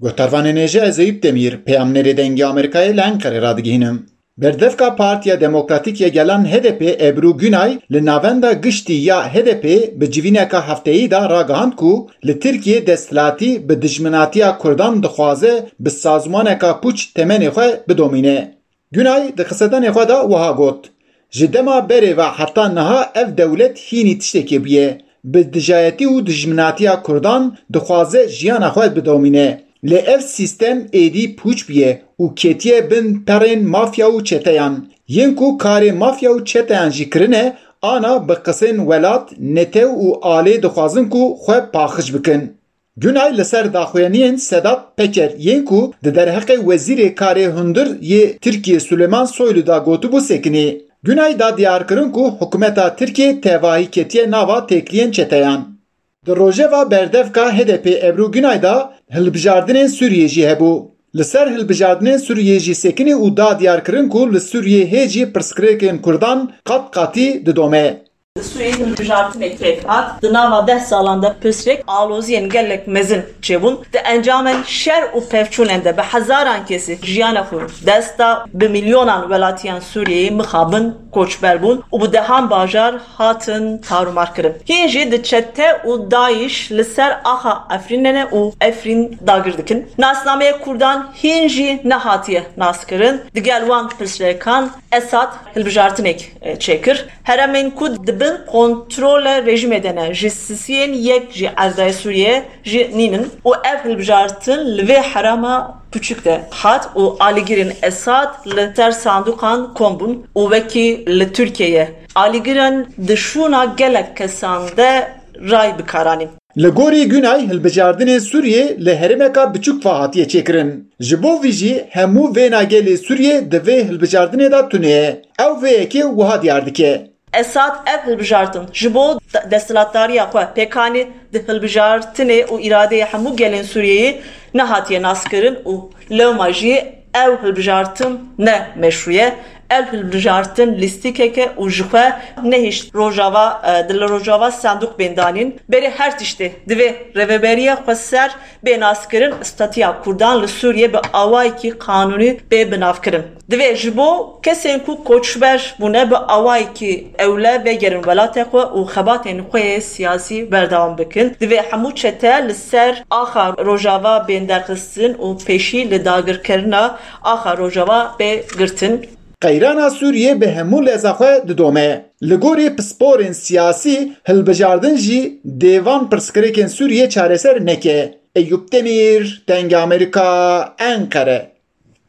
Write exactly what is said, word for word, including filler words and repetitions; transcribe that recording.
Guhdarvanên hêja, ez Eyüp Demîr, peyamnêrê Dengê Amerîkayê li Enqerê radigihînim. Berdevka Partiya Demokratîk ya Gelan H D P Ebru Günay li navenda giştî ya H D P bi civîneka hefteyî de ragihand ku li Tirkiyê desthilatî bi dijminatiya Kurdan dixwaze bi sazmaneka pûç temenê xwe bidomîne. Günay di qisedanê xwe de wiha got, Ji dema berê ve heta niha ev dewlet hînî tiştekê bûye. Bi dijayetî û dijminatiya Kurdan dixwaze jiyana xwe bidomîne. Lê ev sîstem êdî pûç bûye û ketiye bin perên mafya û çeteyan. Yên ku karê mafya û çeteyan jî kirine, ana bi qisên welat, netew û alê dixwazin ku xwe paqij bikin. Günay li ser daxuyaniyên Sedat Peker yên ku di derheqê Wezîrê Karê Hundir yê Tirkiyê Suleyman Soylu de gotibû sekinî. Günay da diyar kirin ku hikûmeta Tirkiyê tevahî ketiye nava têkiliyên çeteyan. Di rojeva berdevka H D P Ebru Günay de hilbijardinên Sûriyê jî hebû. Li ser hilbijardinên Sûriyê jî sekinî û da diyar kirin ku li Sûriyê hê jî pirsgirêkên Kurdan qat qatî didome. Li Sûriyê hilbijartinek pêk hat. Di nava deh salan de pirsgirêk aloziyên gelek mezin çêbûn. Di encamên şer û pevçûnên de bi hezaran kesî jiyana xwe dest da, bi milyonan welatiyan Sûriyeyê mixabin, koçber bûn û bi dehan bajar hatin tarûmar kirin. Hîn jî di çete û DAIŞ li ser axa Efrînê ne û Efrîn dagir dikin. Nasnameyê Kurdan hîn jî nehatiye naskirin. Digel wan pirsgirêkan Esad hilbijartinek, e, çêkir. Heremên ku di bin kontrola rejîmê de ne, ji sisiyên yek jî erdayê Sûriyê jî nînin û ev hilbijartin li vê herema piçûk de hat û alîgirên Esad li ser sandûqan kom bûn û wekî li Tirkiyeyê alîgiran di şûna gelek kesan de ray bi kar anîn. Li gorî Günay, hilbijardinê Sûriyê li herêmeka biçûk ve hatiye çêkirin. Ji bo vî jî hemû vêna gelê Sûriyê di vê hilbijardinê de tune ye. Ew vê yekê wiha diyar dike. Esad ev hilbijartin ji bo de-, desthilatdariya xwe pêk anî, di hilbijartinê û îradeyê hemû gelên Sûriyeyê nehatiye naskirin û lewma jî ew hilbijartin ne meşrû ye. Ev hilbijartin lîstikek e û ji xwe nehişt Rojava, e, di li Rojava sandûq bên danîn. Berê her tiştê divê rêveberiya xweser bê naskirin, statuya Kurdan li Sûriyê bi awayekî qanûnî bê binavkirin. Divê ji bo kesên ku koçber bûne bi awayekî ewle vegerin welatê xwe û xebatên xwe yê siyasî berdewam bikin. Divê hemû çete li ser axa Rojava bên derxistin û pêşî li dagirkirina axa Rojava bê girtin. Qeyrana Sûriyê bi hemû leza xwe didome. Li gorî pisporên siyasî, hilbijardin jî dê van pirsgirêkên Sûriyê çareser neke. Eyûp Demîr, Dengê Amerîka, Enqere.